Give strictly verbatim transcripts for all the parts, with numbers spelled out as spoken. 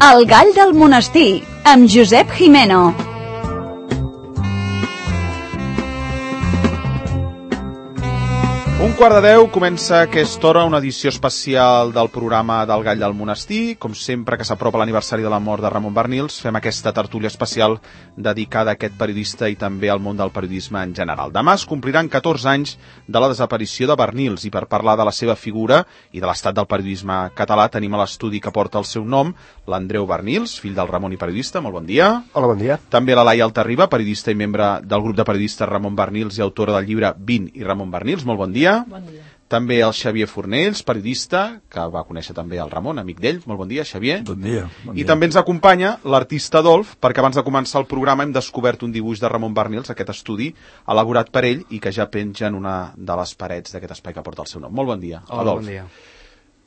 El gall del monestir, amb Josep Jimeno. Un quart de deu comença aquesta hora una edició especial del programa del Gall del Monestir. Com sempre que s'apropa l'aniversari de la mort de Ramon Barnils, fem aquesta tertúlia especial dedicada a aquest periodista i també al món del periodisme en general. Demà es compliran catorze anys de la desaparició de Barnils i per parlar de la seva figura i de l'estat del periodisme català tenim a l'estudi que porta el seu nom, l'Andreu Barnils, fill del Ramon i periodista. Molt bon dia. Hola, bon dia. També la Laia Altarriba, periodista i membre del grup de periodistes Ramon Barnils i autora del llibre vint i Ramon Barnils. Molt bon dia. Bon dia. També el Xavier Fornells, periodista, que va conèixer també el Ramon, amic d'ell. Molt bon dia, Xavier. Bon dia. Bon I dia. també ens acompanya l'artista Adolf, perquè abans de començar el programa hem descobert un dibuix de Ramon Barnils, aquest estudi, elaborat per ell i que ja penja en una de les parets d'aquest espai que porta el seu nom. Molt bon dia, Hola, Adolf. bon dia.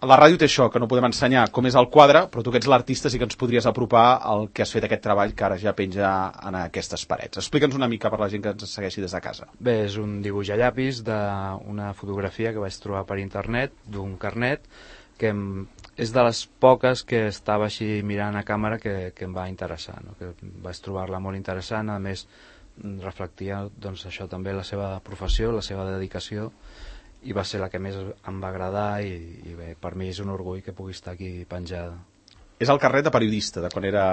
La ràdio té això, que no podem ensenyar com és el quadre, però tu que ets l'artista sí que ens podries apropar al que has fet aquest treball que ara ja penja en aquestes parets. Explica'ns una mica per la gent que ens segueixi des de casa. Bé, és un dibuix a llapis d'una fotografia que vaig trobar per internet, d'un carnet, que em, és de les poques que estava així mirant a càmera que, que em va interessar, no? Que vaig trobar-la molt interessant, a més reflectia doncs, això també la seva professió, la seva dedicació, i va ser la que més em va agradar i, i bé, per mi és un orgull que pugui estar aquí penjada. És el carnet de periodista, de quan era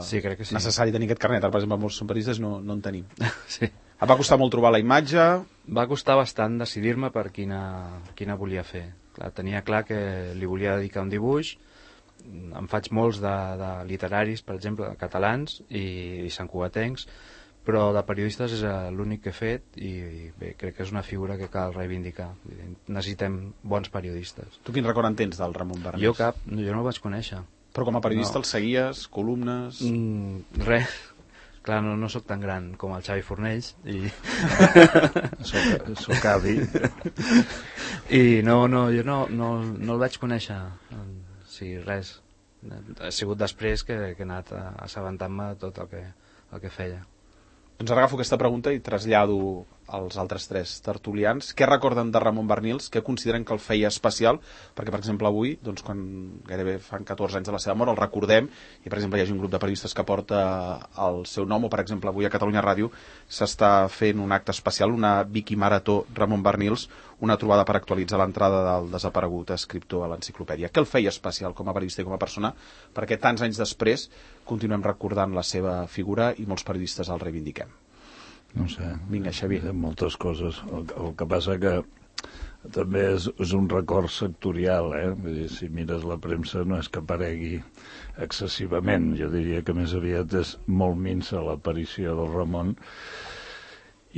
sí, crec que sí. necessari tenir aquest carnet. Ara, per exemple, molts periodistes no, no en tenim. Sí. Et va costar molt trobar la imatge? Va costar bastant decidir-me per quina, quina volia fer. Clar, tenia clar que li volia dedicar un dibuix. Em faig molts de, de literaris, per exemple, catalans i, i santcugatencs, però de periodistes és l'únic que he fet i bé, crec que és una figura que cal reivindicar. Necessitem bons periodistes. Tu quin record en tens del Ramon Barnils? Jo cap, jo no el vaig conèixer. Però com a periodista No. el seguies, columnes... Mm, res. Clar, no, no sóc tan gran com el Xavi Fornells i... Soc, soc avi. I no, no, jo no, no, no el vaig conèixer. Sí, res. Ha sigut després que, que he anat assabentant-me de tot el que, el que feia. Doncs ara agafo aquesta pregunta i trasllado als altres tres tertulians. Què recorden de Ramon Barnils? Què consideren que el feia especial? Perquè, per exemple, avui, doncs, quan gairebé fan catorze anys de la seva mort, el recordem, i, per exemple, hi ha un grup de periodistes que porta el seu nom, o, per exemple, avui a Catalunya Ràdio s'està fent un acte especial, una Vicky Marató Ramon Barnils, una trobada per actualitzar l'entrada del desaparegut escriptor a l'enciclopèdia. Què el feia especial com a periodista i com a persona? Perquè tants anys després continuem recordant la seva figura i molts periodistes el reivindiquem. No sé. Vinga, Xavier. Moltes coses. El, el que passa que també és, és un record sectorial, eh? Vull dir, si mires la premsa no és que aparegui excessivament. Jo diria que més aviat és molt minsa l'aparició del Ramon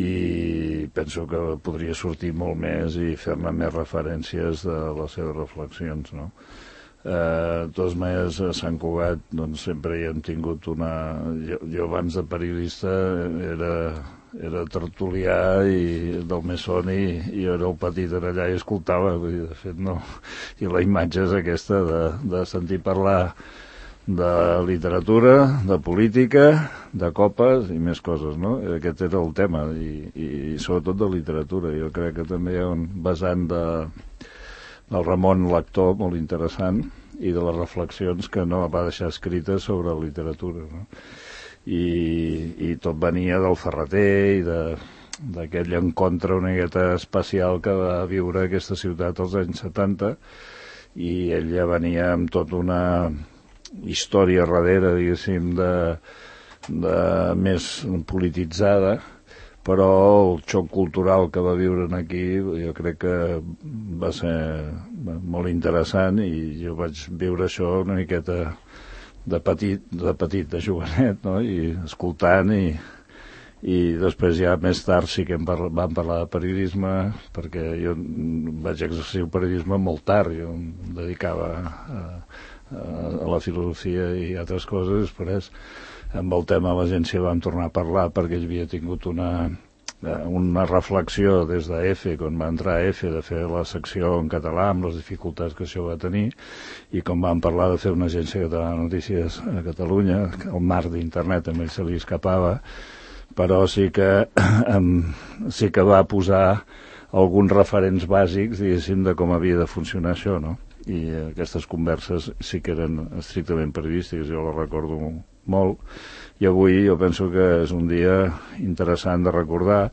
i penso que podria sortir molt més i fer-ne més referències de les seves reflexions, no? Eh, de totes maneres, a Sant Cugat doncs, sempre hi hem tingut una... Jo, jo abans de periodista era, era tertulià i del Mesón i, i era el petit en allà i escoltava, vull dir, de fet no. I la imatge és aquesta de, de sentir parlar de literatura, de política, de copes i més coses, no? Aquest era el tema i, i, i sobretot de literatura. Jo crec que també hi ha un vessant de, del Ramon lector molt interessant i de les reflexions que no va deixar escrites sobre literatura, no? I, i tot venia del Ferreter i de d'aquell encontre una miqueta especial que va viure aquesta ciutat als anys setanta i ell ja venia amb tota una història darrere, diguéssim, de, de més polititzada, però el xoc cultural que va viure aquí jo crec que va ser molt interessant i jo vaig viure això una miqueta de petit, de petit, de jovenet, no? I escoltant i, i després ja més tard sí que em parla, vam parlar de periodisme perquè jo vaig exercir el periodisme molt tard, jo em dedicava a, a la filosofia i altres coses. Després amb el tema de l'agència vam tornar a parlar perquè ell havia tingut una, una reflexió des de EFE, quan va entrar a EFE, de fer la secció en català amb les dificultats que això va tenir, i com vam parlar de fer una agència catalana de notícies a Catalunya, el mar d'internet també se li escapava, però sí que sí que va posar alguns referents bàsics, diguéssim, de com havia de funcionar això, no? i aquestes converses sí que eren estrictament periodístiques, jo les recordo molt, i avui jo penso que és un dia interessant de recordar,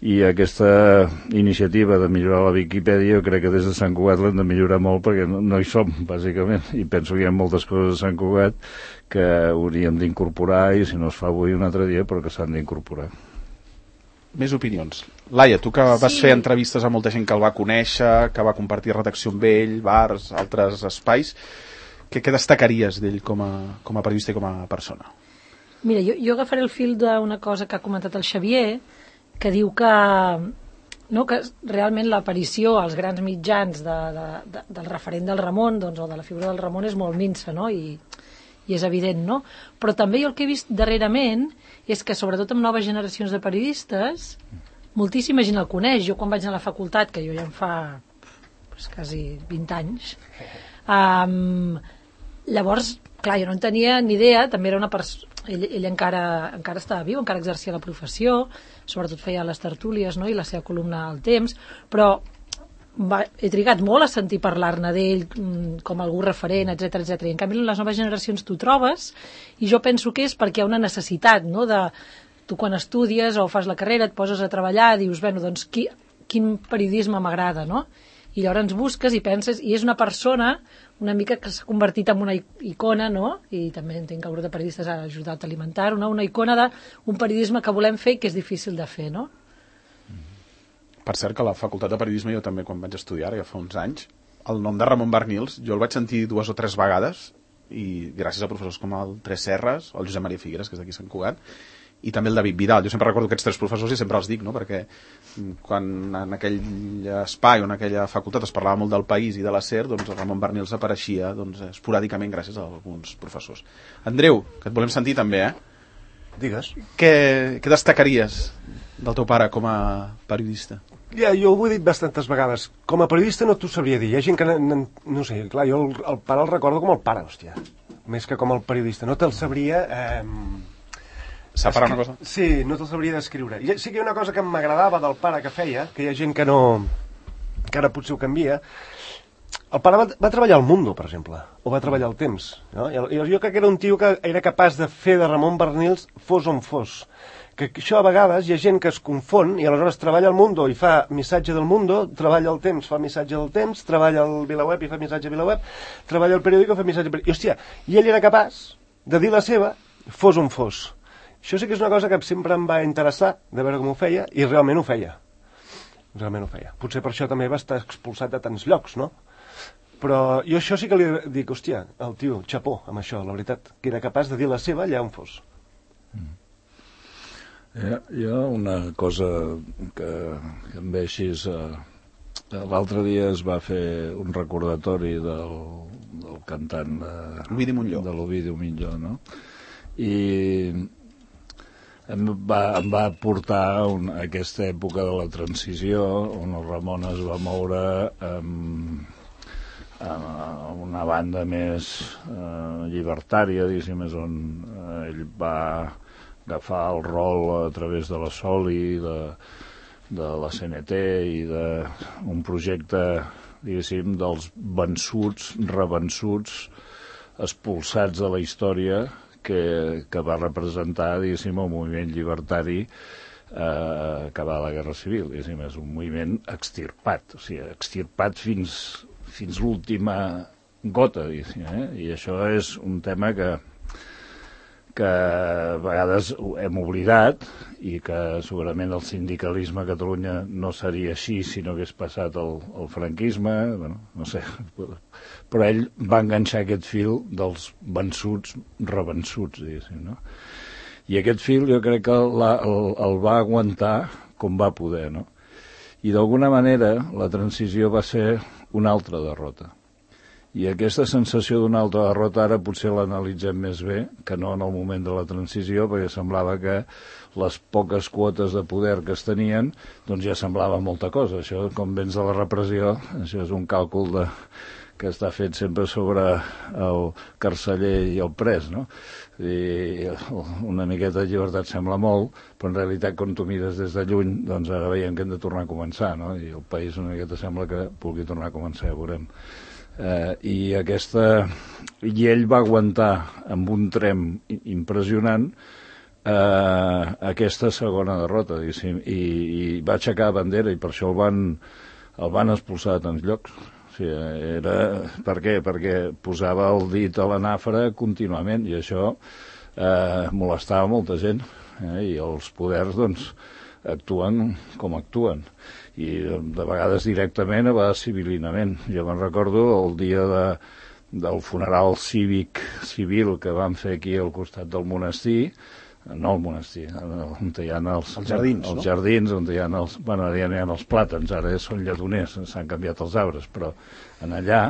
i aquesta iniciativa de millorar la Viquipèdia jo crec que des de Sant Cugat l'hem de millorar molt perquè no, no hi som, bàsicament, i penso que hi ha moltes coses a Sant Cugat que hauríem d'incorporar, i si no es fa avui un altre dia, però que s'han d'incorporar. Més opinions. Laia, tu que vas Sí. fer entrevistes a molta gent que el va conèixer, que va compartir redacció amb ell, bars, altres espais, què, què destacaries d'ell com a, com a periodista i com a persona? Mira, jo, jo agafaré el fil d'una cosa que ha comentat el Xavier, que diu que, no, que realment l'aparició als grans mitjans de, de, de, del referent del Ramon, doncs, o de la figura del Ramon, és molt minsa, no? I, i és evident, no? Però també jo el que he vist darrerament és que, sobretot amb noves generacions de periodistes, moltíssima gent el coneix. Jo quan vaig anar a la facultat, que jo ja em fa pues, quasi vint anys, um, llavors, clar, jo no en tenia ni idea, també era una persona... Ell, ell encara, encara estava viu, encara exercia la professió, sobretot feia les tertúlies, no?, i la seva columna al Temps, però va, he trigat molt a sentir parlar-ne d'ell com algú referent, etcètera, etcètera. I en canvi, en les noves generacions t'ho trobes, i jo penso que és perquè hi ha una necessitat, no?, de... Tu quan estudies o fas la carrera et poses a treballar, dius, bueno, doncs qui, quin periodisme m'agrada, no? I llavors busques i penses, i és una persona una mica que s'ha convertit en una icona, no? I també entenc que el grup de periodistes ha ajudat a alimentar-ho, no? Una icona d'un periodisme que volem fer i que és difícil de fer, no? Per cert, que a la facultat de periodisme, jo també quan vaig estudiar, ja fa uns anys, el nom de Ramon Barnils, jo el vaig sentir dues o tres vegades, i gràcies a professors com el Tres Serres, el Josep Maria Figueres, que és d'aquí Sant Cugat, i també el David Vidal. Jo sempre recordo aquests tres professors i sempre els dic, no?, perquè quan en aquell espai o en aquella facultat es parlava molt del país i de la SER, doncs el Ramon Barnils apareixia doncs, esporàdicament gràcies a alguns professors. Andreu, que et volem sentir també, eh? Digues. Què, què destacaries del teu pare com a periodista? Ja, jo ho he dit bastantes vegades. Com a periodista no t'ho sabria dir. Hi ha gent que... No, no sé, clar, jo el, el pare el recordo com el pare, hòstia. Més que com el periodista. No te'l sabria... Eh... Separar una cosa? Sí, no te'l sabria descriure. Sí que hi ha una cosa que m'agradava del pare que feia, que hi ha gent que no... que ara potser ho canvia. El pare va, va treballar al Mundo, per exemple, o va treballar al Temps. No? I jo crec que era un tio que era capaç de fer de Ramon Barnils fos on fos. Que això a vegades hi ha gent que es confon i aleshores treballa al Mundo i fa missatge del Mundo, treballa al Temps, fa missatge del Temps, treballa al VilaWeb i fa missatge a VilaWeb, treballa al periòdico i fa missatge... I, hòstia, i ell era capaç de dir la seva fos on fos. Això sí que és una cosa que sempre em va interessar, de veure com ho feia, i realment ho feia. Realment ho feia. Potser per això també va estar expulsat de tants llocs, no? Però jo això sí que li dic, hòstia, el tio, xapó, amb això, la veritat, que era capaç de dir la seva allà on fos. Mm. Hi, hi ha una cosa que, que em ve així... Eh, l'altre dia es va fer un recordatori del, del cantant de, Ovidi Montllor. de l'Ovidi Montllor, no? I... Em va, em va portar un, a aquesta època de la transició on el Ramon es va moure amb, amb una banda més eh, llibertària, diguéssim, és on eh, ell va agafar el rol a través de la Soli, de, de la C N T i d'un projecte, diguéssim, dels vençuts, revençuts, expulsats de la història, que, que va representar, diguéssim, el moviment llibertari eh, acabar la Guerra Civil. Diguéssim, és un moviment extirpat, o sigui, extirpat fins, fins l'última gota, diguéssim, eh? I això és un tema que, que a vegades hem oblidat i que segurament el sindicalisme a Catalunya no seria així si no hagués passat el, el franquisme, bueno, no sé, però ell va enganxar aquest fil dels vençuts, revençuts, diguéssim, no? I aquest fil jo crec que la, el, el va aguantar com va poder, no? I d'alguna manera la transició va ser una altra derrota. I aquesta sensació d'una altra derrota ara potser l'analitzem més bé que no en el moment de la transició, perquè semblava que les poques quotes de poder que es tenien doncs ja semblava molta cosa. Això, com vens de la repressió, això és un càlcul de, que està fet sempre sobre el carceller i el pres, no? I una miqueta de llibertat sembla molt, però en realitat quan tu mires des de lluny, doncs ara veiem que hem de tornar a començar, no? I el país una miqueta sembla que pugui tornar a començar, ja veurem. Eh, i aquesta i ell va aguantar amb un trem impressionant eh, aquesta segona derrota, diguéssim, i, i va aixecar bandera i per això el van, el van expulsar de tants llocs. O sigui, era... Per què? Perquè posava el dit a la nàfora contínuament i això eh, molestava molta gent, eh, i els poders doncs actuen com actuen i de vegades directament, a vegades civilinament. Jo me'n recordo el dia de, del funeral cívic civil que van fer aquí al costat del monestir, no el monestir, on hi ha els, els jardins, els no? jardins, on hi ha els, bueno, ja hi ha els plàtans, ara són lledoners, s'han canviat els arbres, però en allà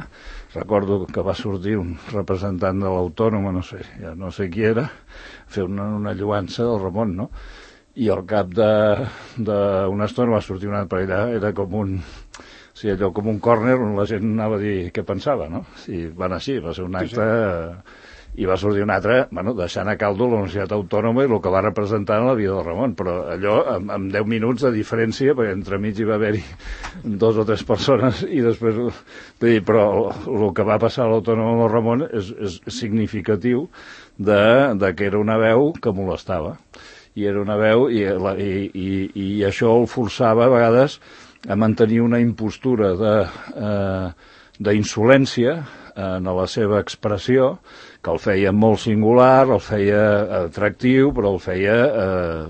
recordo que va sortir un representant de l'Autònoma, no sé, ja no sé qui era, fer una, una lloança del Ramon, no? I al cap d'una estona va sortir un altre per allà, era com un, o sigui, allò com un córner on la gent anava a dir què pensava, no? I van així, va ser un acte, sí, sí. I va sortir un altre, bueno, deixant a caldo la Universitat Autònoma i el que va representar en la vida del Ramon, però allò amb, amb deu minuts de diferència, perquè entremig hi va haver-hi dos o tres persones i després, dir, però el, el que va passar a l'Autònoma amb el Ramon és, és significatiu de, de que era una veu que molestava. I era una veu i, i, i, i això el forçava a vegades a mantenir una impostura de, eh, d'insolència en la seva expressió, que el feia molt singular, el feia atractiu, però el feia eh,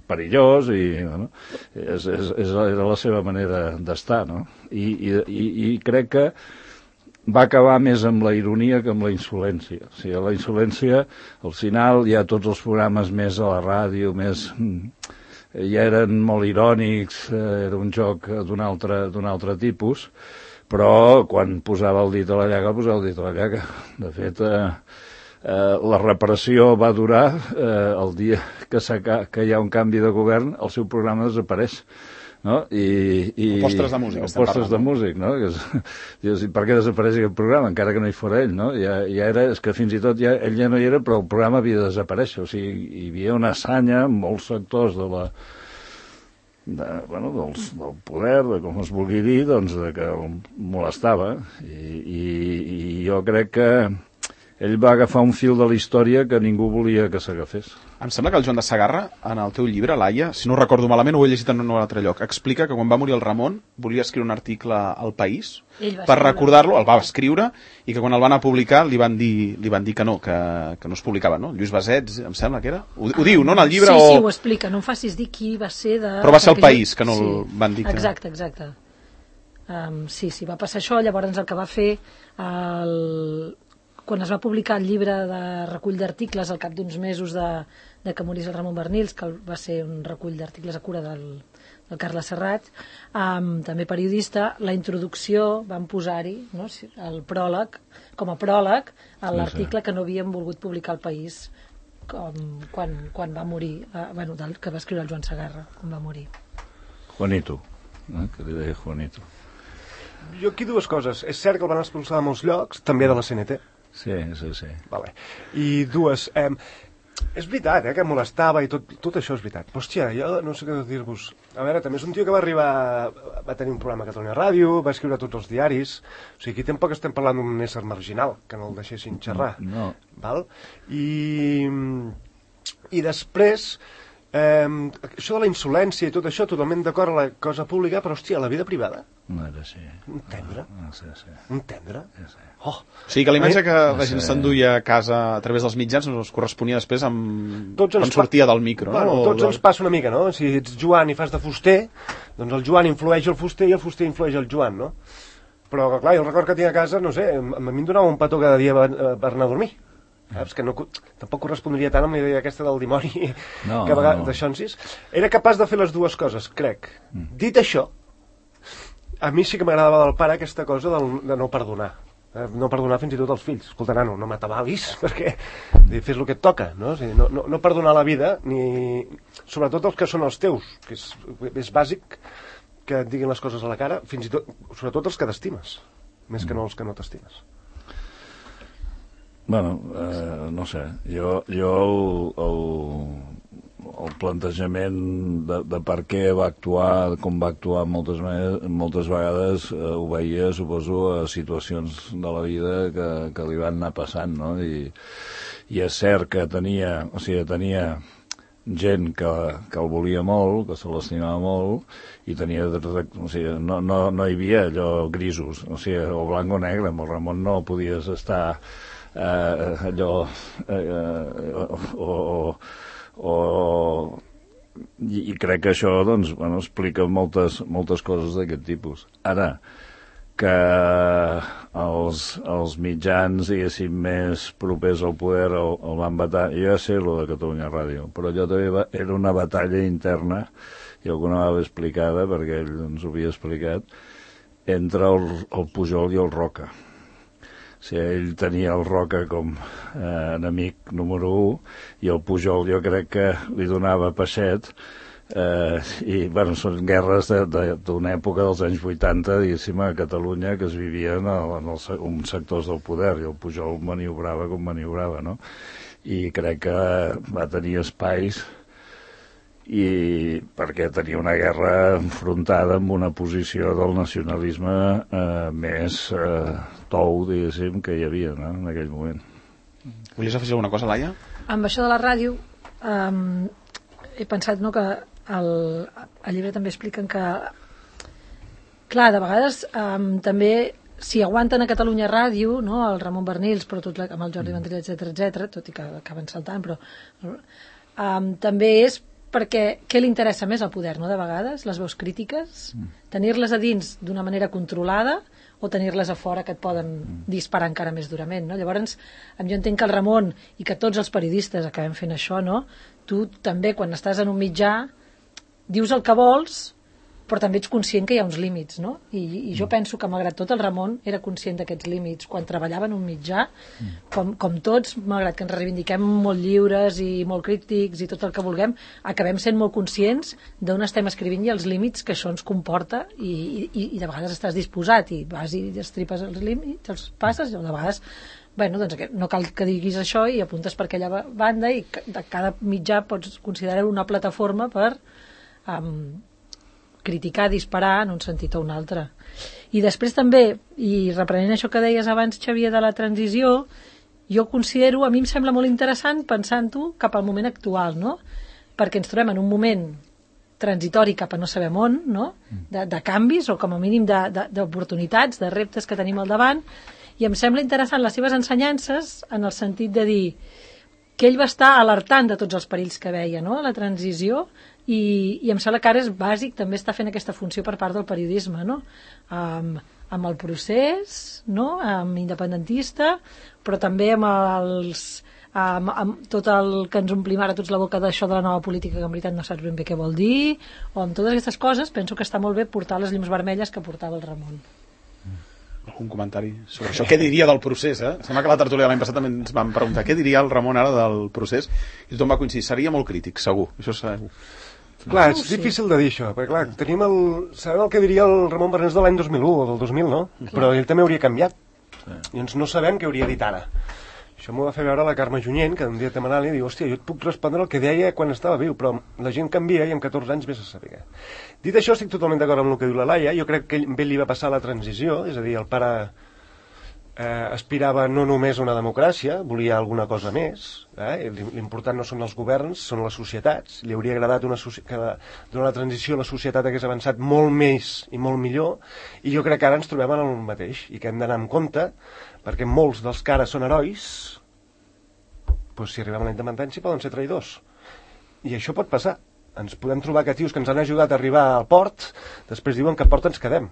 perillós i bueno, és, és, és, era la seva manera d'estar, no? I, i, i, i crec que va acabar més amb la ironia que amb la insolència. O sigui, la insolència, al final, hi ha tots els programes més a la ràdio, més... ja eren molt irònics, era un joc d'un altre, d'un altre tipus, però quan posava el dit a la llaga, posava el dit a la llaga. De fet, eh, eh, la repressió va durar, eh, el dia que, que hi ha un canvi de govern, el seu programa desapareix. No? I, i, o postres de música, o postres de músic, no? Que és, dius, per què desapareix aquest programa, encara que no hi fora ell, no? Ja, ja era, és que fins i tot ja, ell ja no hi era, però el programa havia de desaparèixer, o sigui, hi havia una assanya en molts sectors de la, de, bueno, dels, del poder, de com es vulgui dir, doncs, de que el molestava, i, i, i jo crec que ell va agafar un fil de la història que ningú volia que s'agafés. Em sembla que el Joan de Segarra, en el teu llibre, Laia, si no ho recordo malament, ho he llegit en un altre lloc, explica que quan va morir el Ramon volia escriure un article al País per recordar-lo, el va escriure, i que quan el van a publicar li van dir, li van dir que no, que, que no es publicava, no? Lluís Basets, em sembla que era? Ho, ho diu, no, en el llibre? Sí, o... sí, ho explica, no em facis dir qui va ser de... Però va ser el Perquè País, jo... que no sí. el van dir que... Exacte, exacte. Um, sí, sí, va passar això, llavors el que va fer el... quan es va publicar el llibre de recull d'articles al cap d'uns mesos de, de que morís el Ramon Barnils, que va ser un recull d'articles a cura del, del Carles Serrat, um, també periodista, la introducció van posar-hi, no, el pròleg, com a pròleg a l'article que no havien volgut publicar al País com, quan, quan va morir, uh, bueno, del, que va escriure el Joan Segarra, quan va morir. Juanito, eh, que li deia Juanito. Jo aquí dues coses. És cert que el van expulsar a molts llocs, també de la C N T. Sí, sí, sí. Vale. I dues, eh, és veritat, eh, que molestava i tot, tot això és veritat. Però, hòstia, jo no sé què dir-vos. A veure, també és un tio que va arribar, va tenir un programa a Catalunya Ràdio, va escriure a tots els diaris, o sigui, aquí tampoc estem parlant d'un ésser marginal, que no el deixessin xerrar. No. Val? I, i després, eh, això de la insolència i tot això, totalment d'acord a la cosa pública, però, hòstia, la vida privada? No era així. Un tendre? Ah, sí, sí. Un tendre? Sí, sí. Oh. O sigui que la imatge que Eh? la gent s'enduia a casa a través dels mitjans no es corresponia després amb... Tots quan sortia del micro, bueno, no? Tots del... ens passa una mica, no? Si ets Joan i fas de fuster, doncs el Joan influeix el fuster i el fuster influeix el Joan, no? Però, clar, jo el record que tinc a casa, no sé, a mi em donava un petó cada dia per anar a dormir. Saps? Que no, tampoc correspondria tant amb la idea aquesta del dimoni, no, que a vegades, no. d'això en sis. Era capaç de fer les dues coses, crec. Mm. Dit això, a mi sí que m'agradava del pare aquesta cosa del, de no perdonar. No perdonar fins i tot als fills. Escolta, nano, no m'atabalis, perquè fes el que et toca, no? O sigui, no, no, no perdonar la vida, ni sobretot els que són els teus, que és, és bàsic que et diguin les coses a la cara, fins i tot, sobretot els que t'estimes, més que no els que no t'estimes. Bueno, eh, no sé, jo, jo el, el, el plantejament de, de per què va actuar, com va actuar moltes, moltes vegades, eh, ho veia, suposo, a situacions de la vida que, que li van anar passant, no? I, i és cert que tenia, o sigui, tenia gent que, que el volia molt, que se l'estimava molt, i tenia, o sigui, no, no, no hi havia allò grisos, o sigui, o blanc o negre, amb el Ramon no podies estar eh, allò eh, o, o, o i, i crec que això, doncs, bueno, explica moltes, moltes coses d'aquest tipus. Ara, que els, els mitjans, diguéssim, més propers al poder el, el van vetar. Jo ja sé lo de Catalunya Ràdio, però allò també va, era una batalla interna, i alguna vegada explicada, perquè ell ens ho havia explicat, entre el, el Pujol i el Roca. O sigui, ell tenia el Roca com eh, enemic número u, i el Pujol jo crec que li donava peixet. Eh, i bueno, són guerres d'una època dels anys vuitanta, diguéssim, a Catalunya, que es vivien en els uns sectors del poder, i el Pujol maniobrava com maniobrava, no? I crec que va tenir espais i perquè tenia una guerra enfrontada amb una posició del nacionalisme eh, més eh, tou, diguéssim, que hi havia, no?, en aquell moment. Volies afegir alguna cosa, Laia? Amb això de la ràdio um, he pensat, no, que el, el llibre també expliquen que, clar, de vegades um, també, si aguanten a Catalunya Ràdio, no, el Ramon Barnils, però tot la, amb el Jordi Vendrell, etcètera, etcètera, tot i que acaben saltant, però um, també és perquè què li interessa més al poder, no, de vegades, les veus crítiques, tenir-les a dins d'una manera controlada o tenir-les a fora que et poden disparar encara més durament, no? Llavors, jo entenc que el Ramon i que tots els periodistes acabem fent això, no? Tu també, quan estàs en un mitjà, dius el que vols, però també ets conscient que hi ha uns límits, no? I, i jo penso que, malgrat tot, el Ramon era conscient d'aquests límits. Quan treballava en un mitjà, com, com tots, malgrat que ens reivindiquem molt lliures i molt crítics i tot el que vulguem, acabem sent molt conscients d'on estem escrivint i els límits que això ens comporta, i, i, i de vegades estàs disposat i vas i estripes els límits, els passes, i de vegades, bueno, doncs no cal que diguis això i apuntes per aquella banda, i de cada mitjà pots considerar una plataforma per um, criticar, disparar en un sentit o un altre. I després també, i reprenent això que deies abans, Xavier, de la transició, jo considero, a mi em sembla molt interessant pensant-ho cap al moment actual, no? Perquè ens trobem en un moment transitori cap a no sabem on, no? De, de canvis, o com a mínim d'oportunitats, de, de reptes que tenim al davant, i em sembla interessant les seves ensenyances en el sentit de dir que ell va estar alertant de tots els perills que veia, no?, la transició, i, i em sembla que ara és bàsic també està fent aquesta funció per part del periodisme, no?, amb, amb el procés, no?, amb independentista, però també amb els amb, amb tot el que ens omplim ara tots la boca d'això de la nova política, que en veritat no saps ben bé què vol dir, o amb totes aquestes coses penso que està molt bé portar les llums vermelles que portava el Ramon. Algun comentari sobre això? Què diria del procés, eh? Sembla que la tertúlia l'any passat també ens van preguntar què diria el Ramon ara del procés, i tothom va coincidir, seria molt crític, segur, això segur. Clar, és difícil de dir això, perquè clar, tenim el, sabem el que diria el Ramon Barnils de l'any dos mil u o del dos mil, no? Però ell també hauria canviat, i ens no sabem què hauria dit ara. Això m'ho va fer veure la Carme Junyent, que un diatem anant i diu, hòstia, jo et puc respondre el que deia quan estava viu, però la gent canvia i amb catorze anys vés a saber. Dit això, estic totalment d'acord amb el que diu la Laia. Jo crec que ell, ell li va passar la transició, és a dir, el pare eh, aspirava no només a una democràcia, volia alguna cosa més, eh? L'important no són els governs, són les societats. Li hauria agradat una que durant la transició la societat hagués avançat molt més i molt millor, i jo crec que ara ens trobem en el mateix, i que hem d'anar amb compte, perquè molts dels que ara són herois, doncs si arribem a la independència poden ser traïdors. I això pot passar. Ens podem trobar que tios que ens han ajudat a arribar al port, després diuen que a port ens quedem.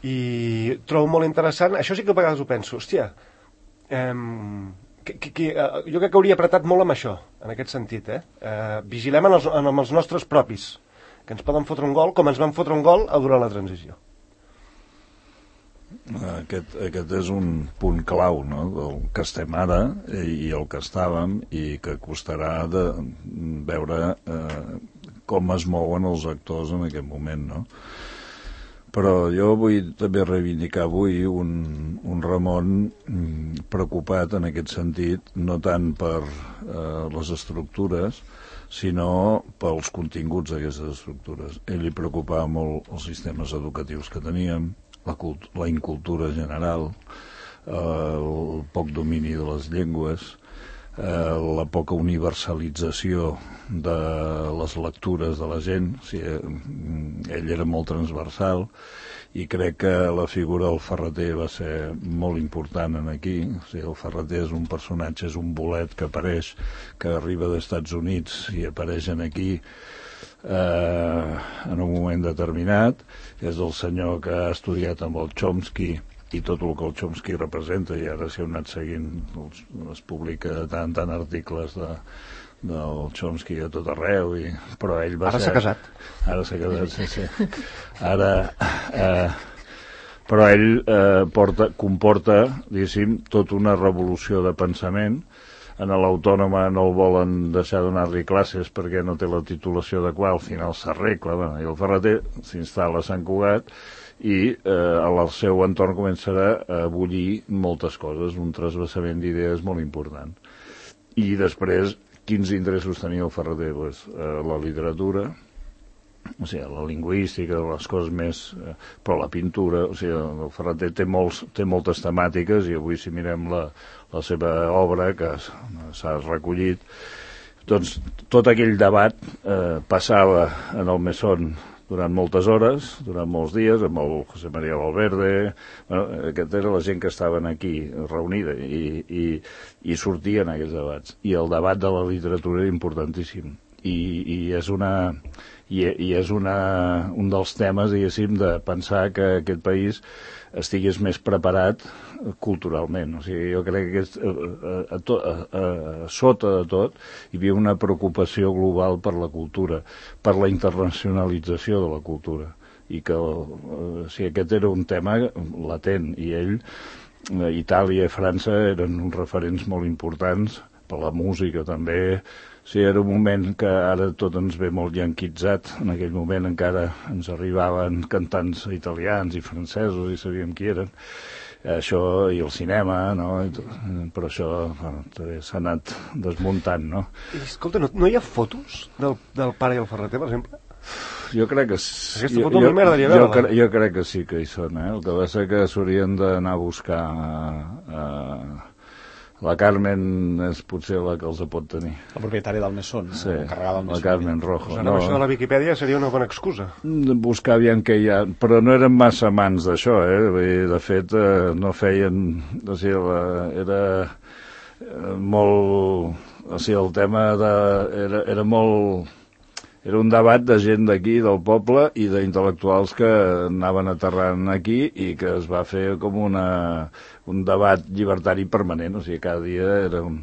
I trobo molt interessant, això sí que a vegades ho penso, hòstia, eh, que, que, que, eh, jo crec que hauria apretat molt amb això, en aquest sentit, eh? eh vigilem en els, en els nostres propis, que ens poden fotre un gol, com ens van fotre un gol durant la transició. Aquest, aquest és un punt clau, no?, del que estem ara i el que estàvem, i que costarà de veure eh, com es mouen els actors en aquest moment, no? Però jo vull també reivindicar avui un, un Ramon preocupat en aquest sentit, no tant per eh, les estructures, sinó pels continguts d'aquestes estructures. A ell li preocupava molt els sistemes educatius que teníem, la, cult la incultura general, eh, el poc domini de les llengües, eh, la poca universalització de les lectures de la gent. O sigui, ell era molt transversal, i crec que la figura del Ferreter va ser molt important en aquí. O sigui, el Ferreter és un personatge, és un bolet que apareix, que arriba dels Estats Units i apareix aquí eh, en un moment determinat. És el senyor que ha estudiat amb el Chomsky i tot el que el Chomsky representa, i ara si heu anat seguint, els, es publica de tant en tant articles de, del Chomsky a tot arreu, i, però ell va ara ser... s'ha casat. Ara s'ha casat, sí, sí. Ara... Eh, però ell eh, porta, comporta, diguéssim, tota una revolució de pensament. En l'Autònoma no el volen deixar donar-li classes perquè no té la titulació adequada, al final s'arregla, bueno, i el Ferreter s'instal·la a Sant Cugat i eh, al seu entorn comença a bullir moltes coses, un trasbassament d'idees molt important. I després, quins interessos tenia el Ferreter? Pues, eh, la literatura, o sigui, la lingüística, les coses més... Eh, però la pintura, o sigui, el Ferreter té, molts, té moltes temàtiques, i avui si mirem la, la seva obra, que s'ha recollit, doncs tot aquell debat eh, passava en el Mesón durant moltes hores, durant molts dies, amb el José María Valverde. Bueno, aquesta era la gent que estaven aquí reunida, i, i, i sortien aquests debats. I el debat de la literatura era importantíssim. I, i és una... I, i és una, un dels temes, diguéssim, de pensar que aquest país estigués més preparat culturalment. O sigui, jo crec que a, a, a, a, a sota de tot hi havia una preocupació global per la cultura, per la internacionalització de la cultura, i que o sigui, aquest era un tema latent, i ell, Itàlia i França eren uns referents molt importants per la música també. Sí, era un moment que ara tot ens ve molt yanquitzat. En aquell moment encara ens arribaven cantants italians i francesos i sabíem qui eren. Això i el cinema, no? Però això bueno, s'ha anat desmuntant, no? I, escolta, no, no hi ha fotos del, del pare i el Ferreter, per exemple? Jo crec que sí. Aquesta foto jo, a mi m'agradaria veure-la. Jo, cre jo crec que sí que hi són, eh? El que va ser que s'haurien d'anar a buscar a... a la Carmen és potser la que els pot tenir. La propietària del Mesón, sí, l'encarregada del Mesón. La Carmen Rojo. Pues ara no. Això de la Viquipèdia seria una bona excusa. Buscar aviam què hi ha, però no eren massa amants d'això, eh? De fet, eh, no feien... O sigui, la, era eh, molt... O sigui, el tema de... Era, era molt... Era un debat de gent d'aquí, del poble, i d'intel·lectuals que anaven aterrant aquí, i que es va fer com una, un debat llibertari permanent. O sigui, cada dia era un,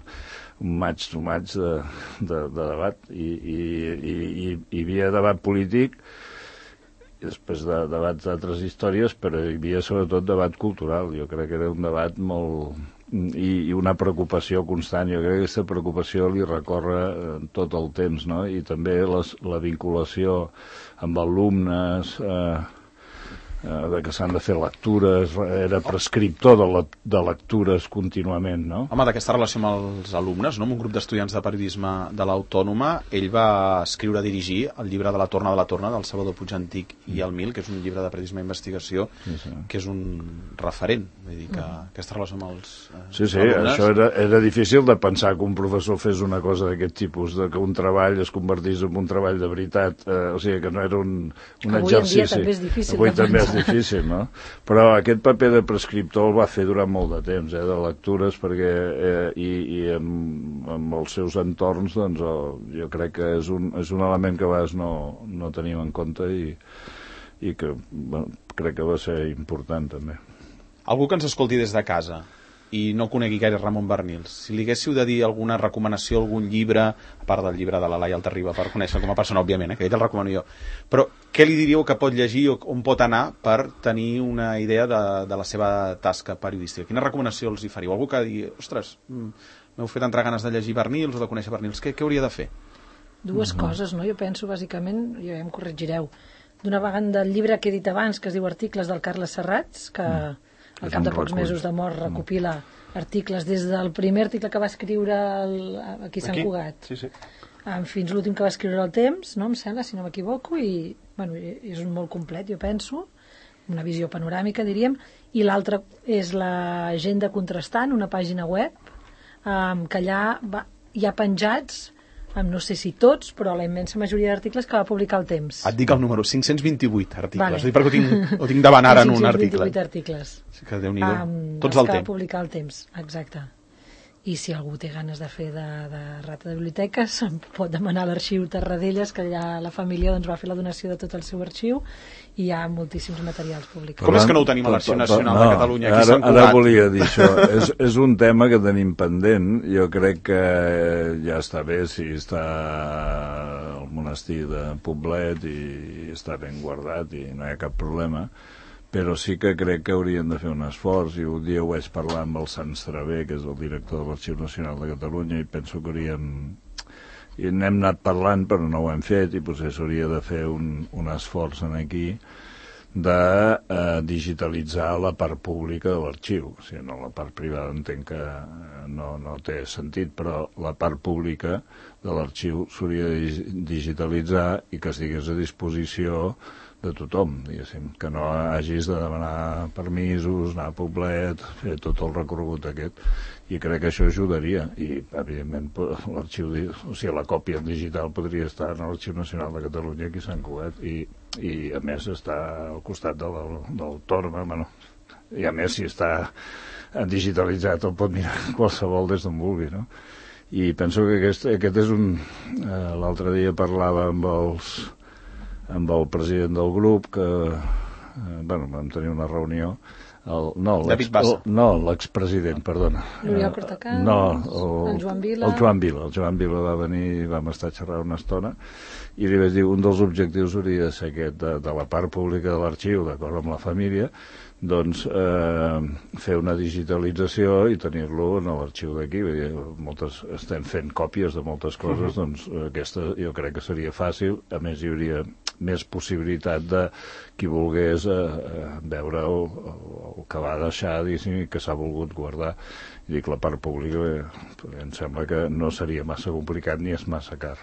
un maig to maig de, de, de debat. I, i, i, i hi havia debat polític, i després de debats d'altres històries, però hi havia sobretot debat cultural. Jo crec que era un debat molt... I, i una preocupació constant. Jo crec que aquesta preocupació li recorre eh, tot el temps, no? I també les, la vinculació amb alumnes, eh, eh, de que s'han de fer lectures, era prescriptor de, la, de lectures contínuament, no? Home, d'aquesta relació amb els alumnes, no? Amb un grup d'estudiants de periodisme de l'Autònoma, ell va escriure, dirigir el llibre de la Torna de la Torna, del Salvador Puig Antic i el Mil, que és un llibre de periodisme i investigació, sí, sí. Que és un referent. Vull dir que mm. aquesta relació amb els eh, sí, sí, alumnes... això era, era difícil de pensar que un professor fes una cosa d'aquest tipus, de que un treball es convertís en un treball de veritat, eh, o sigui, que no era un, un avui exercici. Avui en dia també és difícil. Avui també és difícil, no? Però aquest paper de prescriptor el va fer durant molt de temps, eh, de lectures, perquè eh, i, i amb, amb els seus entorns, doncs, el, jo crec que és un, és un element que a vegades no, no tenim en compte, i, i que bueno, crec que va ser important també. Algú que ens escolti des de casa i no conegui gaire Ramon Barnils, si li haguéssiu de dir alguna recomanació, algun llibre, a part del llibre de la Laia Altarriba, per conèixer com a persona, òbviament, eh, que ell el recomano jo, però què li diríeu que pot llegir o on pot anar per tenir una idea de, de la seva tasca periodística? Quina recomanació els hi faríeu? Algú que digui, ostres, m'heu fet entrar ganes de llegir Barnils o de conèixer Barnils, què, què hauria de fer? Dues mm-hmm. coses, no? Jo penso, bàsicament, jo ja em corregireu, d'una vegada el llibre que he dit abans, que es diu Articles del Carles Serrats, que... Mm. al cap de pocs mesos de mort, recopila articles des del primer article que va escriure el, aquí a Sant Aquí? Cugat Sí, sí. fins l'últim que va escriure al Temps, no em sembla, si no m'equivoco, i bueno, és un molt complet, jo penso, una visió panoràmica, diríem, i l'altra és l'agenda contrastant, una pàgina web, um, que allà va, hi ha penjats, um, no sé si tots, però la immensa majoria d'articles que va publicar el Temps. Et dic el número, cinc-cents vint-i-vuit articles. Vale. Ho dic perquè ho tinc, ho tinc davant ara en un article. cinc-cents vint-i-vuit articles. Sí que Déu-n'hi-do. Um, Tots els del que va Temps. publicar el Temps, exacte. I si algú té ganes de fer de, de rata de biblioteques, em pot demanar a l'arxiu Terradellas, que allà la família doncs, va fer la donació de tot el seu arxiu, i hi ha moltíssims materials publicats. Com és que no ho tenim a l'Arxiu Nacional no, de Catalunya, aquí a ara, Sant Cugat? Ara volia dir això. és, és un tema que tenim pendent. Jo crec que ja està bé si està al monestir de Poblet i està ben guardat i no hi ha cap problema, però sí que crec que haurien de fer un esforç, i un dia ho vaig parlar amb el Sant Stravé, que és el director de l'Arxiu Nacional de Catalunya, i penso que hauríem... i n'hem anat parlant però no ho hem fet, i potser s'hauria de fer un, un esforç en aquí de eh, digitalitzar la part pública de l'arxiu. O sigui, no la part privada entenc que no, no té sentit, però la part pública de l'arxiu s'hauria de digitalitzar i que estigués a disposició de tothom, diguéssim, que no hagis de demanar permisos, anar a Poblet, fer tot el recorregut aquest, i crec que això ajudaria, i evidentment l'arxiu, o sigui, la còpia digital podria estar en l'Arxiu Nacional de Catalunya aquí a Sant Cugat, i, i a més està al costat de l'Autònoma, bueno, i a més si està digitalitzat el pot mirar qualsevol des d'on vulgui, no? I penso que aquest, aquest és un... Eh, l'altre dia parlava amb els amb el president del grup, que eh, bueno, vam tenir una reunió, el, no, David Bassa. el, no, l'expresident, perdona. L'Oriol Cortacans, no, el, el Joan Vila. El Joan Vila, el Joan Vila va venir i vam estar a xerrar una estona, i li vaig dir, un dels objectius hauria de ser aquest, de, de la part pública de l'arxiu, d'acord amb la família, doncs eh, fer una digitalització i tenir-lo en l'arxiu d'aquí. Moltes, estem fent còpies de moltes coses, doncs aquesta jo crec que seria fàcil, a més hi hauria més possibilitat de qui volgués eh, veure el, el que va deixar, diguéssim, que s'ha volgut guardar. I dic, la part pública eh, em sembla que no seria massa complicat ni és massa car,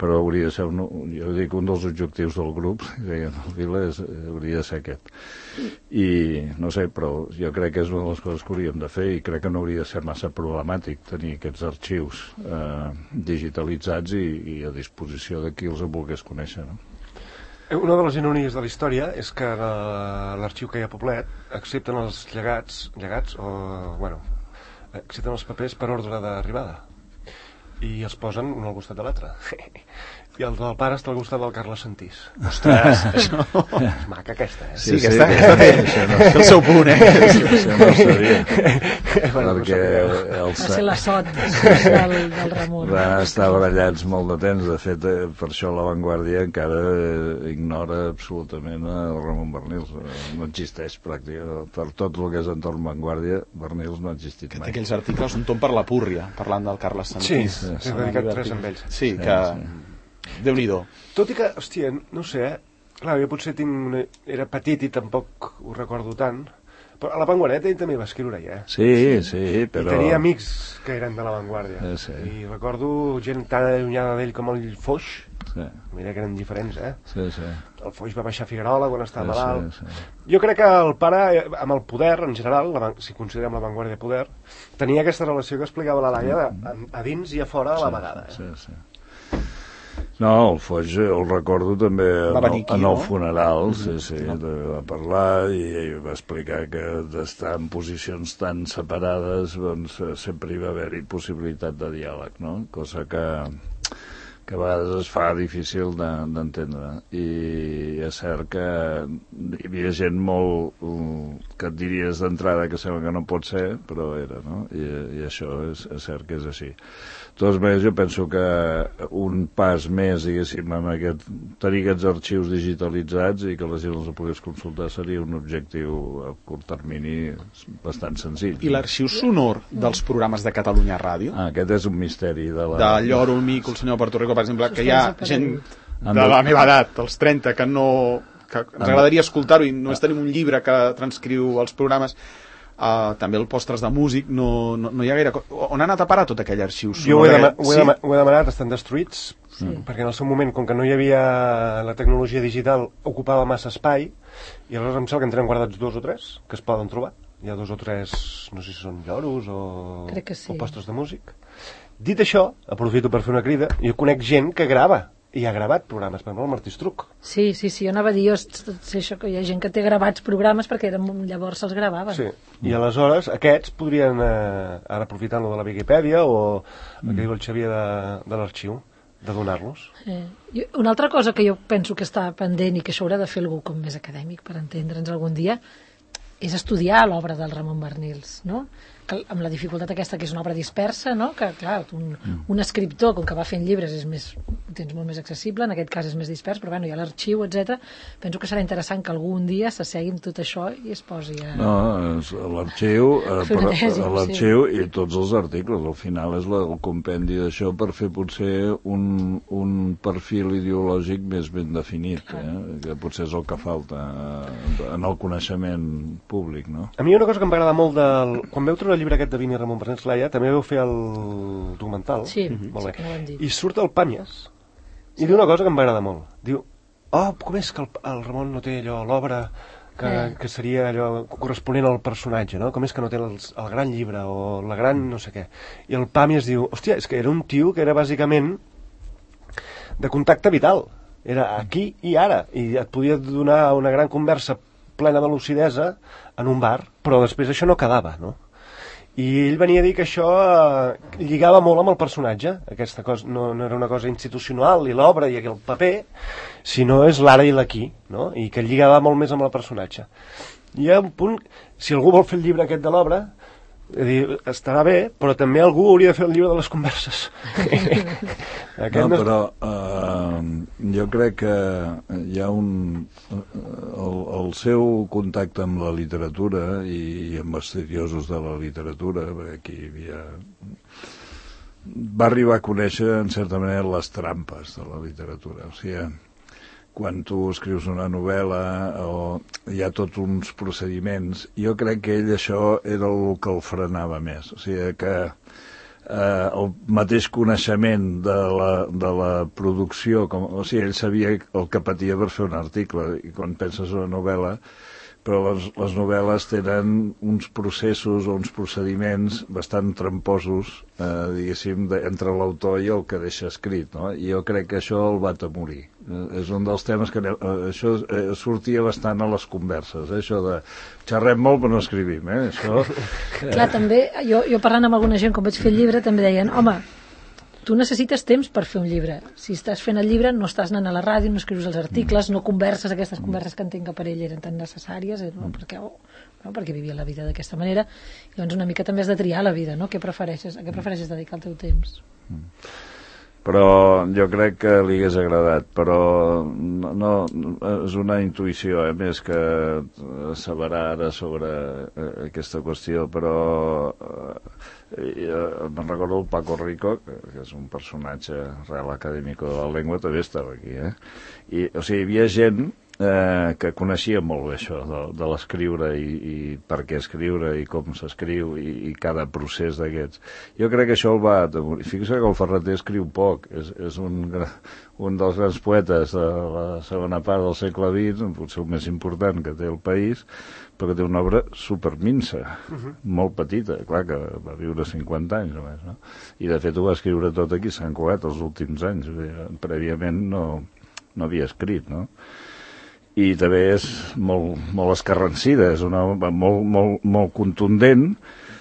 però hauria de ser un, jo dic, un dels objectius del grup, deien el Vila, és, hauria de ser aquest. I no sé, però jo crec que és una de les coses que hauríem de fer, i crec que no hauria de ser massa problemàtic tenir aquests arxius eh, digitalitzats i, i a disposició de qui els volgués conèixer, no? Una de les ironies de la història és que l'arxiu que hi ha a Poblet accepten els llegats, llegats o, bueno, accepten els papers per ordre d'arribada i els posen un al costat de l'altre. I el del pare està al costat del Carles Santís. Ostres, això... És maca aquesta, eh? Sí, sí, aquesta, sí, aquesta té, no, té el seu punt, eh? Això no ho sabia. Bueno, Perquè no el Va ser la sot del, del Ramon. van estar barallats molt de temps. De fet, eh, per això La Vanguardia encara eh, ignora absolutament el Ramon Barnils. No existeix pràcticament. Per tot el que és entorn Vanguardia, Barnils no ha existit Que té mai. aquells articles un tom per la púrria, parlant del Carles Sí, Santís. sí, he dedicat tres amb ells. Sí, Sí, que... sí. Déu-n'hi-do. Tot i que, hòstia, no sé, eh? Clar, jo potser tinc una... era petit i tampoc ho recordo tant, però a La Vanguardia ell també va escriure ja. Sí, sí, però... I tenia amics que eren de La Vanguardia. Eh, sí. I recordo gent tan allunyada d'ell com el Foix, Sí, mira que eren diferents, eh? sí, sí. El Foix va baixar a Figuerola quan estava Sí, malalt. sí, sí. Jo crec que el pare, eh, amb el poder, en general, la, van- si considerem La Vanguardia poder, tenia aquesta relació que explicava la Laia de, a, a dins i a fora a la vegada. Eh? Sí, sí. No, el Foix el recordo també en, Va venir el, aquí, en el no? funeral, sí, sí, de, va parlar i, i va explicar que d'estar en posicions tan separades doncs eh, sempre hi va haver-hi possibilitat de diàleg, no? Cosa que, que a vegades es fa difícil de- d'entendre. I és cert que hi havia gent molt uh, que et diries d'entrada que sembla que no pot ser, però era, no? I, i això és, és cert que és així. De totes maneres, jo penso que un pas més, diguéssim, amb aquest, tenir aquests arxius digitalitzats i que la gent els pogués consultar seria un objectiu a curt termini bastant senzill. I l'arxiu sonor dels programes de Catalunya Ràdio? Ah, aquest és un misteri de la... De Lloro, el Mico, el senyor Puerto Rico, per exemple, que hi ha gent Han de de- la meva edat, dels trenta, que no... que ens agradaria escoltar-ho i només tenim un llibre que transcriu els programes. Uh, també el postres de músic, no, no, no hi ha gaire... Co on ha anat a parar tot aquell arxiu? Jo ho he, dema ho, he sí? dema ho he demanat, estan destruïts, Sí. perquè en el seu moment, com que no hi havia la tecnologia digital, ocupava massa espai, i aleshores em sembla que en tenen guardats dos o tres, que es poden trobar. Hi ha dos o tres, no sé si són lloros o, Crec que sí. o postres de músic. Dit això, aprofito per fer una crida, jo conec gent que grava, i ha gravat programes, per exemple, el Martí Estruc. Sí, sí, sí, jo anava a dir, jo sé això, que hi ha gent que té gravats programes perquè eren, llavors se'ls gravaven. Sí, i aleshores aquests podrien, eh, ara aprofitant-lo de la Viquipèdia o el que diu el Xavier de, de l'arxiu, de donar-los. Eh, jo, una altra cosa que jo penso que està pendent i que això haurà de fer algú com més acadèmic per entendre'ns algun dia és estudiar l'obra del Ramon Barnils, no? Que, amb la dificultat aquesta que és una obra dispersa, no? Que clar, un, un escriptor com que va fent llibres és més, ho tens molt més accessible, en aquest cas és més dispers, però bueno, hi ha l'arxiu, etcètera. Penso que serà interessant que algun dia s'assegui amb tot això i es posi a... No, és l'arxiu eh, Fer una tesi, l'arxiu sí. I tots els articles, al final és la, el compendi d'això per fer potser un, un perfil ideològic més ben definit, eh? Que potser és el que falta en el coneixement públic, no? A mi una cosa que em va agradar molt del... Quan veu treure el llibre aquest de Vini Ramon Barnils Laia, també vau fer el documental. Sí, molt sí bé. que no ho hem dit. I surt el Pàmies i diu una cosa que em va agradar molt. Diu, oh, com és que el, el Ramon no té allò, l'obra que, Eh. que seria allò corresponent al personatge, no? Com és que no té el, el gran llibre o la gran no sé què. I el Pàmies diu, hòstia, és que era un tio que era bàsicament de contacte vital. Era aquí i ara. I et podia donar una gran conversa plena de lucidesa en un bar, però després això no quedava, no? I ell venia a dir que això eh, lligava molt amb el personatge, aquesta cosa no, no era una cosa institucional i l'obra i el paper, sinó és l'ara i l'aquí, no? I que lligava molt més amb el personatge. Hi ha un punt, si algú vol fer el llibre aquest de l'obra, dir, estarà bé, però també algú hauria de fer el llibre de les converses. No, però uh, jo crec que hi ha un... El, el seu contacte amb la literatura i, i amb estudiosos de la literatura, perquè aquí hi havia... va arribar a conèixer, en certa manera, les trampes de la literatura. O sigui, quan tu escrius una novel·la o hi ha tots uns procediments, jo crec que ell això era el que el frenava més. O sigui que eh, el mateix coneixement de la, de la producció, com, o sigui, ell sabia el que patia per fer un article, i quan penses una novel·la, però les, les novel·les tenen uns processos o uns procediments bastant tramposos, eh, diguéssim, de, entre l'autor i el que deixa escrit, no? I jo crec que això el va atemorir. Eh, és un dels temes que... Eh, això eh, sortia bastant a les converses, eh, això de xerrem molt però no escrivim, eh? Això... Eh... Clar, també, jo, jo parlant amb alguna gent, com vaig fer el llibre, també deien, home, tu necessites temps per fer un llibre. Si estàs fent el llibre, no estàs anant a la ràdio, no escrius els articles, no converses, aquestes converses que entenc que per ell eren tan necessàries, eh, no? perquè, oh, no? perquè vivia la vida d'aquesta manera. I llavors una mica també has de triar la vida, no? Què prefereixes? A què prefereixes dedicar el teu temps? Però jo crec que li hagués agradat, però no, no és una intuïció, eh, més que asseverar ara sobre eh, aquesta qüestió, però eh, eh, me'n recordo el Paco Rico, que, que és un personatge real acadèmic de la llengua, també estava aquí, eh? I, o sigui, hi havia gent eh, que coneixia molt bé això de, de l'escriure i, i per què escriure i com s'escriu i, i cada procés d'aquests. Jo crec que això el va atemorir. Fixa que el Ferreter escriu poc, és, és un, un dels grans poetes de la segona part del segle vint, potser el més important que té el país, però que té una obra superminsa, uh-huh. molt petita, clar que va viure cinquanta anys només, no? I de fet ho va escriure tot aquí a Sant Cugat els últims anys, prèviament no, no havia escrit, no? I també és molt, molt escarransida, és una obra molt, molt, molt contundent,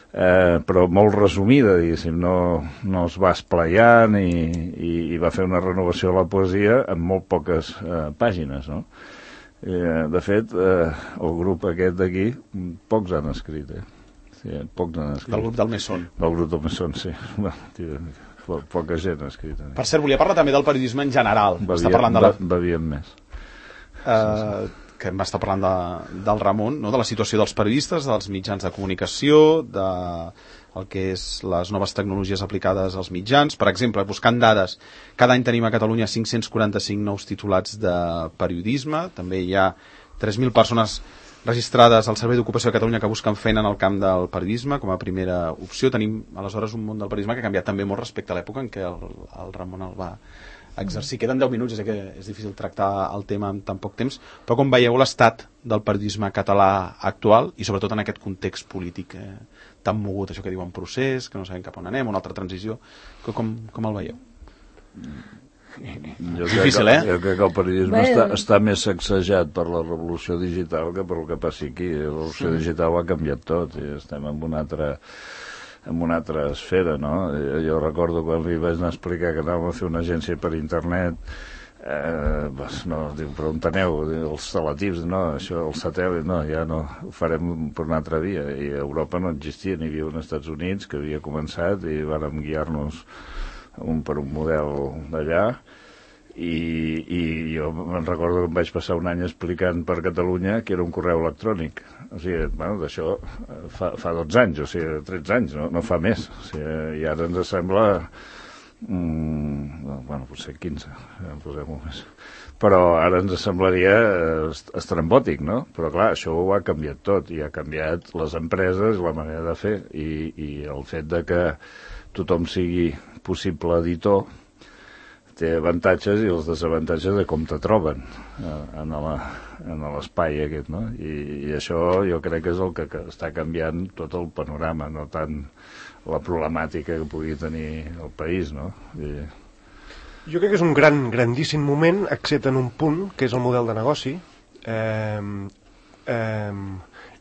eh, però molt resumida, diguéssim, no, no es va esplaiant i, i, i va fer una renovació de la poesia en molt poques eh, pàgines, no? Eh, de fet, eh, el grup aquest d'aquí, pocs han escrit, eh? Sí, pocs han escrit. Del grup del Mesón. Del grup del Mesón, sí. Po poca gent ha escrit. Per cert, volia parlar també del periodisme en general. Bevia, Està parlant de la... Beviem més. Uh, que em va estar parlant de, del Ramon, no? De la situació dels periodistes, dels mitjans de comunicació, de el que és les noves tecnologies aplicades als mitjans. Per exemple, buscant dades, cada any tenim a Catalunya cinc-cents quaranta-cinc nous titulats de periodisme, també hi ha tres mil persones registrades al Servei d'Ocupació de Catalunya que busquen feina en el camp del periodisme com a primera opció. Tenim aleshores un món del periodisme que ha canviat també molt respecte a l'època en què el, el Ramon el va exercir. Queden deu minuts, és que és difícil tractar el tema en tan poc temps, però com veieu l'estat del periodisme català actual i sobretot en aquest context polític eh, tan mogut, això que diuen procés, que no sabem cap on anem, una altra transició, que com, com el veieu? Jo difícil, crec, eh? Jo crec que el periodisme està, està més sacsejat per la revolució digital que per el que passi aquí. La revolució digital ho ha canviat tot i estem en una altra en una altra esfera, no? Jo recordo quan li vaig anar a explicar que anàvem a fer una agència per internet, eh, pues no, diu, però on aneu? Els teletips, no, això, el satèl·lit, no, ja no, ho farem per una altra via. I a Europa no existia, n'hi havia un als Estats Units que havia començat i vàrem guiar-nos un per un model d'allà. I, i jo me'n recordo que em vaig passar un any explicant per Catalunya que era un correu electrònic. O sigui, bueno, d'això fa, fa dotze anys, o sigui, tretze anys, no, no fa més. O sigui, i ara ens sembla... Mm, bueno, potser quinze, ja en posem més. Però ara ens semblaria estrambòtic, no? Però clar, això ho ha canviat tot, i ha canviat les empreses, la manera de fer, i, i el fet de que tothom sigui possible editor té avantatges i els desavantatges de com te troben eh, en l'espai aquest, no? I, i això jo crec que és el que, que està canviant tot el panorama, no tant la problemàtica que pugui tenir el país, no? I... Jo crec que és un gran, grandíssim moment, excepte en un punt, que és el model de negoci. Eh, eh,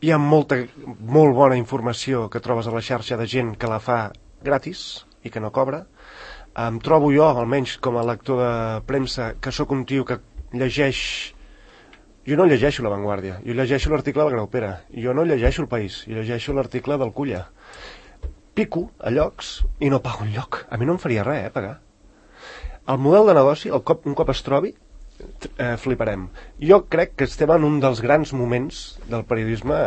hi ha molta, molt bona informació que trobes a la xarxa de gent que la fa gratis i que no cobra. Em trobo jo, almenys com a lector de premsa, que sóc un tio que llegeix... Jo no llegeixo La Vanguardia, jo llegeixo l'article del Graupera, jo no llegeixo El País, jo llegeixo l'article del Culla. Pico a llocs i no pago un lloc. A mi no em faria res, eh, pagar. El model de negoci, el cop, un cop es trobi, eh, fliparem. Jo crec que estem en un dels grans moments del periodisme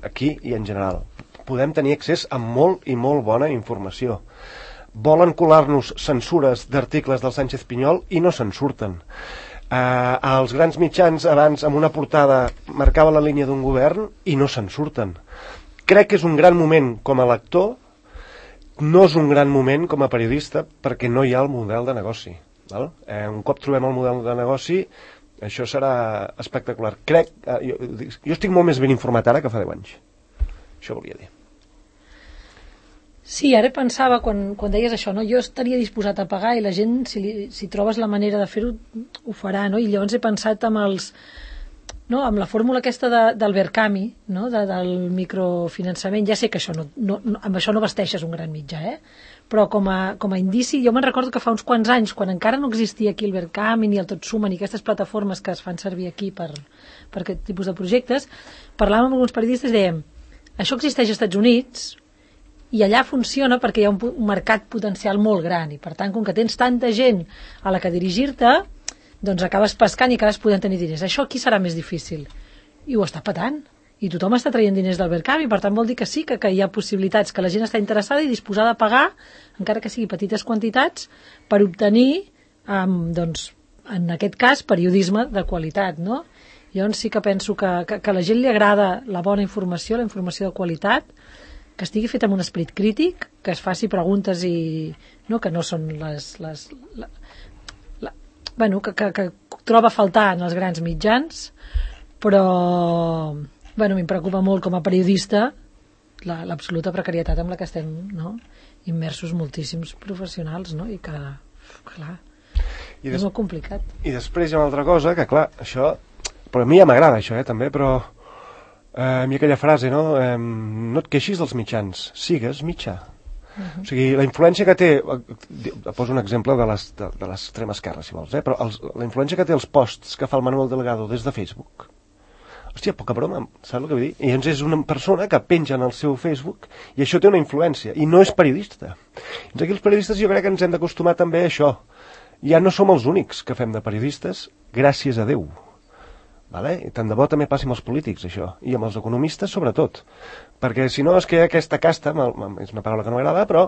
aquí i en general. Podem tenir accés a molt i molt bona informació. Volen colar-nos censures d'articles del Sánchez Pinyol i no se'n surten. Eh, els grans mitjans abans amb una portada marcava la línia d'un govern i no se'n surten. Crec que és un gran moment com a lector, no és un gran moment com a periodista perquè no hi ha el model de negoci. Val? Eh, un cop trobem el model de negoci, això serà espectacular. Crec, eh, jo, jo estic molt més ben informat ara que fa deu anys. Això volia dir. Sí, ara pensava, quan, quan deies això, no? Jo estaria disposat a pagar i la gent, si, li, si trobes la manera de fer-ho, ho farà, no? I llavors he pensat amb els... No? Amb la fórmula aquesta de, del Verkami, no? de, del microfinançament, ja sé que això no, no, no, amb això no vesteixes un gran mitjà, eh? Però com a, com a indici, jo me'n recordo que fa uns quants anys, quan encara no existia aquí el Verkami, ni el Tot Suma, ni aquestes plataformes que es fan servir aquí per, per aquest tipus de projectes, parlàvem amb alguns periodistes i dèiem, això existeix als Estats Units, i allà funciona perquè hi ha un, un mercat potencial molt gran i per tant com que tens tanta gent a la que dirigir-te doncs acabes pescant i acabes podent tenir diners. Això aquí serà més difícil i ho està patant i tothom està traient diners del Verkami, per tant vol dir que sí que, que hi ha possibilitats, que la gent està interessada i disposada a pagar, encara que sigui petites quantitats, per obtenir um, doncs, en aquest cas periodisme de qualitat, no? Jo sí que penso que, que, que a la gent li agrada la bona informació, la informació de qualitat, que estigui fet amb un esperit crític, que es faci preguntes i no, que no són les, les la, la, bueno, que, que, que troba a faltar en els grans mitjans, però bueno, em preocupa molt com a periodista l'absoluta la, precarietat amb la que estem, no? Immersos moltíssims professionals, no? I que, clar, I des... és molt complicat. I després hi ha una altra cosa, que clar, això, però a mi ja m'agrada això, eh, també, però Eh, a mi aquella frase, no? Eh, no et queixis dels mitjans, sigues mitjà. Uh-huh. O sigui, la influència que té, poso un exemple de l'extrema esquerra, si vols, eh? Però els, la influència que té els posts que fa el Manuel Delgado des de Facebook, hòstia, poca broma, saps el que vull dir? I llavors és una persona que penja en el seu Facebook i això té una influència, i no és periodista. Doncs aquí els periodistes jo crec que ens hem d'acostumar també a això. Ja no som els únics que fem de periodistes, gràcies a Déu. Vale? I tant de bo també passi amb els polítics, això, i amb els economistes sobretot, perquè si no és que aquesta casta, és una paraula que no m'agrada, però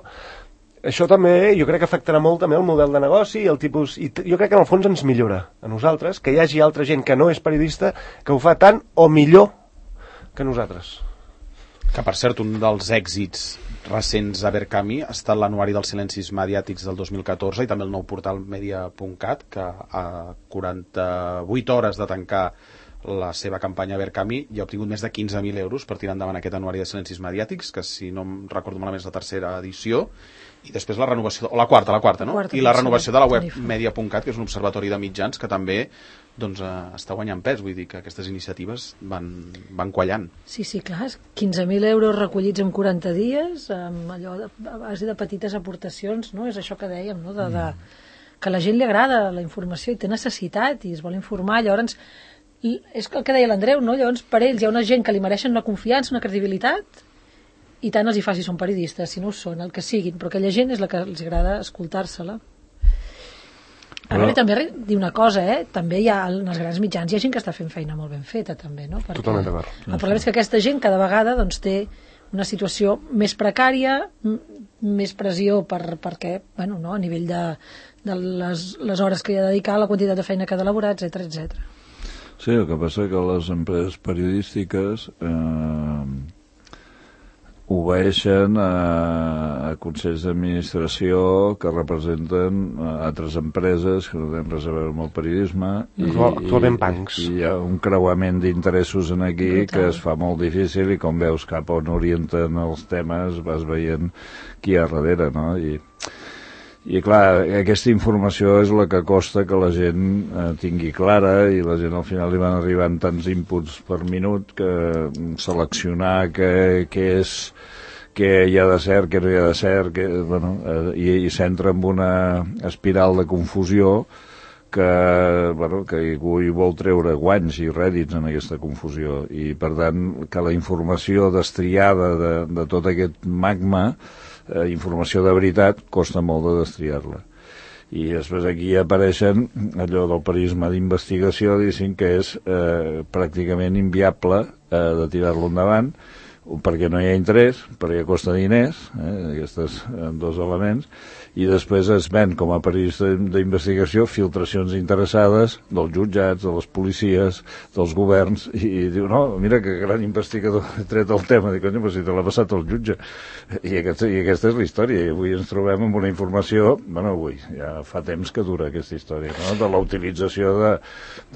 això també jo crec que afectarà molt també el model de negoci i el tipus, i jo crec que en el fons ens millora a nosaltres, que hi hagi altra gent que no és periodista que ho fa tant o millor que nosaltres. Que, per cert, un dels èxits recents a Verkami ha estat l'anuari dels silencis mediàtics del dos mil catorze i també el nou portal media punt cat, que a quaranta-vuit hores de tancar la seva campanya Verkami i ha obtingut més de quinze mil euros per tirar endavant aquest anuari de silencis mediàtics, que si no em recordo malament és la tercera edició, i després la renovació, o la quarta, la quarta, no? Quarta, I la renovació de la web sí. media punt cat, que és un observatori de mitjans que també doncs, eh, està guanyant pes, vull dir que aquestes iniciatives van, van quallant. Sí, sí, clar, quinze mil euros recollits en quaranta dies, amb allò de, a base de petites aportacions, no? És això que dèiem, no? De, de, que a la gent li agrada la informació i té necessitat i es vol informar, llavors és el que deia l'Andreu, no? Llavors per ells hi ha una gent que li mereixen una confiança, una credibilitat, i tant els hi faci, són periodistes, si no ho són, el que siguin, però aquella gent és la que els agrada escoltar-se-la. A veure, també dir una cosa, eh? També hi ha, en els grans mitjans hi ha gent que està fent feina molt ben feta, també, no? Perquè totalment d'acord. El problema és que aquesta gent cada vegada doncs, té una situació més precària, més pressió per, perquè, bueno, no? A nivell de, de les, les hores que hi ha de dedicar, la quantitat de feina que ha d'elaborar, etcètera, etcètera. Sí, el que passa que les empreses periodístiques eh, obeeixen a, a consells d'administració que representen altres empreses que no tenen res a veure amb el periodisme i, actualment bancs. I hi ha un creuament d'interessos en aquí brutal, que es fa molt difícil i com veus cap on orienten els temes vas veient qui hi ha darrere, no? I I clar, aquesta informació és la que costa que la gent eh, tingui clara i la gent al final li van arribant tants inputs per minut que seleccionar què, què és, què hi ha de cert, què no hi ha de cert, que, bueno, eh, i, i s'entra en una espiral de confusió que, bueno, que algú hi vol treure guanys i rèdits en aquesta confusió i per tant que la informació destriada de, de tot aquest magma, eh, informació de veritat, costa molt de destriar-la. I després aquí apareixen allò del periodisme d'investigació, diguéssim que és eh, pràcticament inviable eh, de tirar-lo endavant, perquè no hi ha interès, perquè costa diners, eh, aquests eh, dos elements, i després es ven com a periodista d'investigació filtracions interessades dels jutjats, de les policies, dels governs, i, i diu, no, mira que gran investigador ha tret el tema, dic, però si te l'ha passat el jutge. I aquesta, I aquesta és la història, i avui ens trobem amb una informació, bueno, avui, ja fa temps que dura aquesta història, no?, de la utilització de,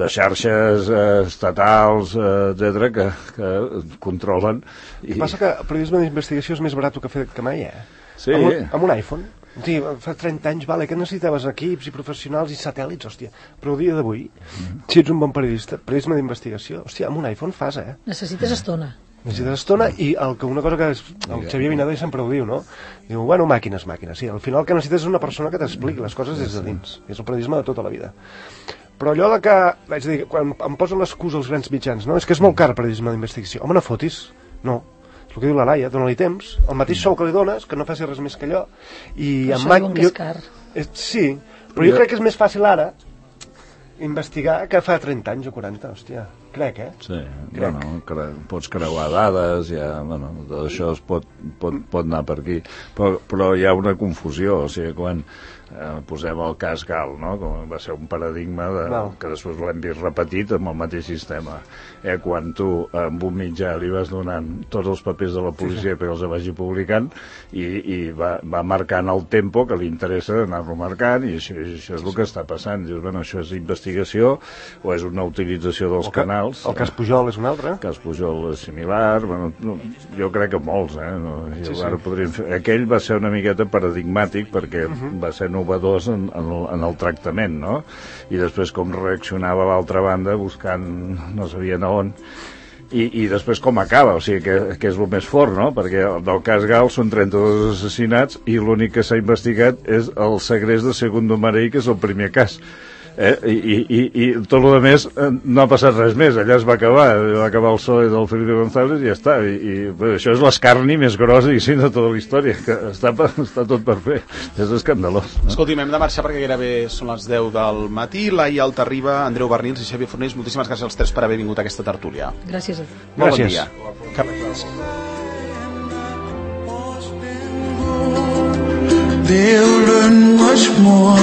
de xarxes eh, estatals, eh, etcètera, que, que controlen. I... Passa que el periodisme d'investigació és més barat que fer que mai, eh? Sí. Amb un, amb un iPhone. Sí, fa trenta anys, vale, que necessitaves equips i professionals i satèl·lits, hòstia. Però el dia d'avui, mm. si ets un bon periodista, periodisme d'investigació, hòstia, amb un iPhone fas, eh? Necessites estona. Necessites estona i el que una cosa que és, el Xavier Vinador sempre ho diu, no? Diu, bueno, màquines, màquines. Sí, al final el que necessites és una persona que t'expliqui les coses des de dins. És el periodisme de tota la vida. Però allò de que, vaig dir, quan em posen l'excusa els grans mitjans, no? És que és molt car el periodisme d'investigació. Home, no fotis. No. És el que diu la Laia, dona-li temps, el mateix sou que li dones, que no faci res més que allò. I això amb diuen que és car. És, sí, però jo crec que és més fàcil ara investigar que fa trenta anys o quaranta, hòstia. Crec, eh? Sí, crec. Bueno, cre pots creuar dades, ja, bueno, tot això es pot, pot, pot anar per aquí. Però, però hi ha una confusió, o sigui, quan eh, posem el cas Gal, no?, com va ser un paradigma de, no. que després l'hem vist repetit amb el mateix sistema. Eh, quan tu amb un mitjà li vas donant tots els papers de la policia sí, sí. perquè els vagi publicant i, i va, va marcant el tempo que li interessa anar-lo marcant i això, això és el que està passant. Dius, bueno, això és investigació o és una utilització dels que, canals. El cas Pujol és un altre. El cas Pujol és similar. Bueno, no, jo crec que molts, eh? No, sí, sí. Ara podríem fer... Aquell va ser una miqueta paradigmàtic perquè uh -huh. va ser novedós en, en, el, en el tractament, no? I després com reaccionava l'altra banda buscant no sabien on I, i després com acaba, o sigui que, que és el més fort, no? Perquè del cas Gal són trenta-dos assassinats i l'únic que s'ha investigat és el segrest de Segundo Marey, que és el primer cas. Eh? I, i, i tot el més no ha passat res més, allà es va acabar va acabar el P S O E del Felipe González i ja està, i, i bé, això és l'escarni més grossa i sí, de tota la història que està, està tot per fer, és escandalós, no? Escolti'm, hem de marxar perquè gairebé són les deu del matí. Laia Altarriba, Andreu Barnils i Xavier Fornells, moltíssimes gràcies als tres per haver vingut a aquesta tertúlia. Gràcies a tu. Molt bon dia. They'll learn much more